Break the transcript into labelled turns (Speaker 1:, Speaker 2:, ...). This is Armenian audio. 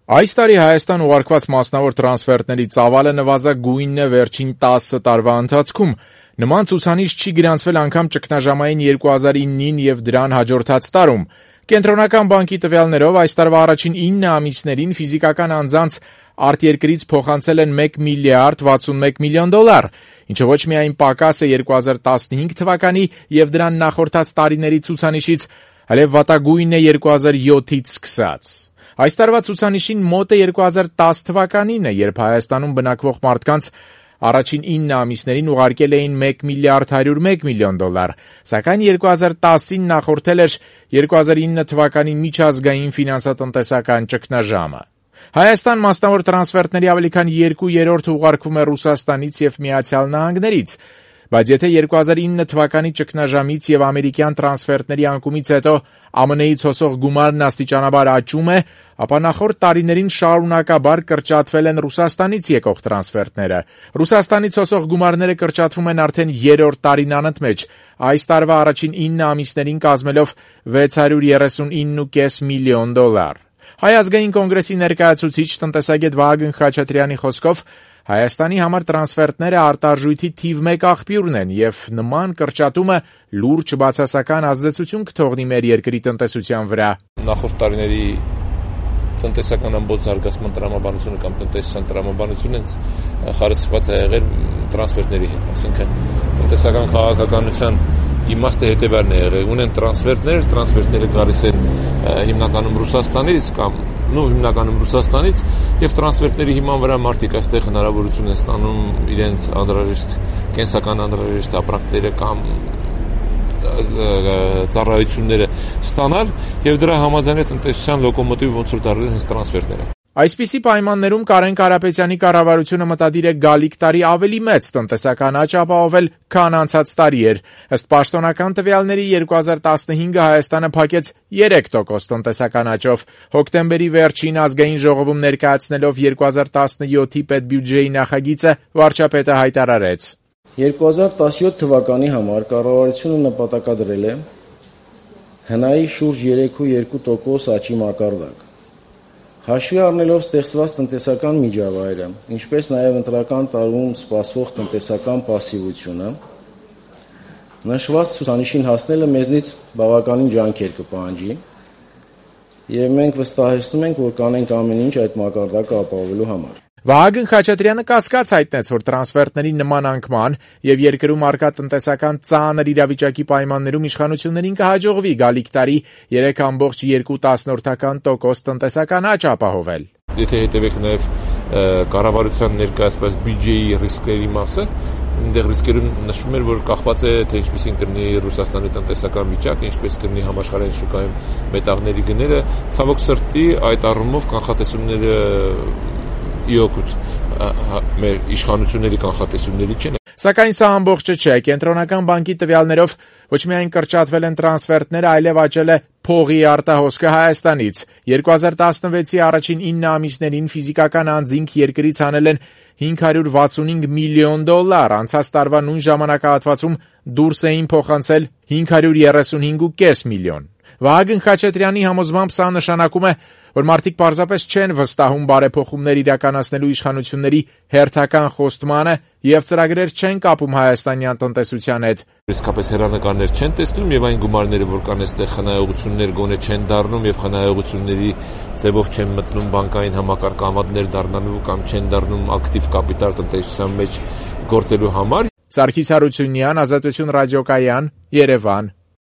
Speaker 1: Այս տարի Հայաստան ուղարկված մասնավոր տրանսֆերտների ծավալը նվազագույնն է վերջին 10 տարվա ընթացքում։ Նման ցուցանիշ չի գրանցվել անգամ ճգնաժամային 2009-ին եւ դրան հաջորդած տարում։ Կենտրոնական բանկի տվյալներով այս տարվա առաջին 9 ամիսներին ֆիզիկական անձանց արտերկրից փոխանցել են $1 միլիարդ 61 միլիոն, ինչը ոչ միայն պակաս է 2015 թվականի եւ դրան նախորդած տարիների ցուցանիշից, այլև վատագույնն է 2007-ից սկսած։ Այս տարվա ցուցանիշին մոտ է 2010 թվականինը, երբ Հայաստանում բնակվող մարդկանց առաջին 9 ամիսներին ուղարկել էին $1 միլիարդ 101 միլիոն, սակայն 2010-ին նախորդել էր 2009 թվականի միջազգային ֆինանսատնտեսական ճգնաժամը։ Հայաստան մասնավոր տրանսֆերտների ավելի քան 2/3-ը ուղարկվում է Ռուսաստանից եւ Միացյալ Նահանգներից, բայց եթե 2009 թվականի ճգնաժամից եւ ամերիկյան տրանսֆերտների անկումից հետո ԱՄՆ-ից հոսող գումարն աստիճանաբար աճում է, ապա նախորդ տարիներին շարունակաբար կրճատվել են Ռուսաստանից եկող տրանսֆերտները։ Ռուսաստանից հոսող գումարները կրճատվում են արդեն 3-րդ տարին անընդմեջ, այս տարվա առաջին 9 ամիսներին կազմելով $639.5 միլիոն։ Հայ ազգային կոնգրեսի ներկայացուցիչ տնտեսագետ Վահագն Խաչատրյանի խոսքով Հայաստանի համար տրանսֆերտները արտարժույթի թիվ 1 աղբյուրն են եւ նման կրճատումը լուրջ բացասական ազդեցություն կթողնի մեր երկրի տնտեսության վրա։
Speaker 2: Նախորդ տարիների տնտեսական ամբողջ զարգացման տրամաբանությունը կամ տնտեսական տրամաբանությունը խարսխված է եղել տրանսֆերտների հետ, այսինքն տնտեսական քաղաքականության իմաստը հետևյալն է եղել, ունեն տրանսֆերտները գալիս են հիմնականում Ռուսաստանից կամ հիմնականում Ռուսաստանից եւ տրանսֆերտների հիման վրա մարդիկ այստեղ հնարավորություն են ստանում իրենց անհրաժեշտ կենսական անհրաժեշտ ապրանքները կամ ծառայությունները ստանալ եւ դրա համաձայն տնտեսության լոկոմոտիվը ոնց որ դարձել հենց տրանսֆերտները։
Speaker 1: Այսպիսի պայմաններում Կարեն Կարապետյանի կառավարությունը մտադիր է գալիք տարի ավելի մեծ տնտեսական աճ ապահովել, քան անցած տարի էր։ Ըստ պաշտոնական տվյալների 2015-ը Հայաստանը փակեց 3% տնտեսական աճով։ Հոկտեմբերի վերջին ազգային ժողովում ներկայացնելով 2017-ի պետբյուջեի նախագիծը վարչապետը հայտարարեց.
Speaker 3: 2017 թվականի համար կառավարությունը նպատակադրել է հնայի շուրջ 3.2% աճի մակարդակ։ Հաշվի առնելով ստեղծված տնտեսական միջավայրը, ինչպես նաև ընտրական տարում սպասվող տնտեսական պասիվությունը, նշված ցուցանիշին հասնելը մեզնից բավականին ջանքեր կպահանջի, եւ մենք վստահեցնում ենք, որ կանենք ամեն ինչ այդ մակարդակը ապահովելու համար։
Speaker 1: Վահագն Խաչատրյանը կասկած հայտնեց, որ տրանսֆերտների նման անկման եւ երկրում առկա տնտեսական ծանր իրավիճակի պայմաններում իշխանություններին կհաջողվի գալիք տարի 3.2% տնտեսական աճ ապահովել։
Speaker 2: Եթե հետևեք նաեւ կառավարության ներկայացված բյուջեի ռիսկերի մասը, այնտեղ ռիսկերում նշվում էր, որ կախված է թե ինչպեսին կլինի Ռուսաստանի տնտեսական վիճակը, ինչպես կլինի համաշխարհային շուկայում մետաղների գները, ցավոք սրտի այդ առումով կանխատեսումները իօգուտ մեր իշխանությունների կանխատեսումների չեն։
Speaker 1: Սակայն սա ամբողջը չէ։ Կենտրոնական բանկի տվյալներով ոչ միայն կրճատվել են տրանսֆերտները, այլև աճել է փողի արտահոսքը Հայաստանից։ 2016-ի առաջին 9 ամիսներին ֆիզիկական անձինք երկրից հանել են $565 միլիոն, անցած տարվա նույն ժամանակահատվածում դուրս էին փոխանցել $535.5 միլիոն։ Վահագն Խաչատրյանի համոզմամբ սա նշանակում է, որ մարդիկ պարզապես չեն վստահում բարեփոխումներ իրականացնելու իշխանությունների հերթական խոստմանը եւ ծրագրեր չեն կապում հայաստանյան տնտեսության հետ։
Speaker 2: Իսկապես հեռանկարներ չեն տեսնում եւ այն գումարները, որ կան այստեղ խնայողություններ գոնե չեն դառնում եւ խնայողությունների ձևով չեն մտնում բանկային համակարգավանդներ դառնալու կամ չեն դառնում ակտիվ կապիտալ տնտեսության մեջ գործելու համար։
Speaker 1: Սարգիս Հարությունյան, Ազատություն ռադիոկայան, Երևան։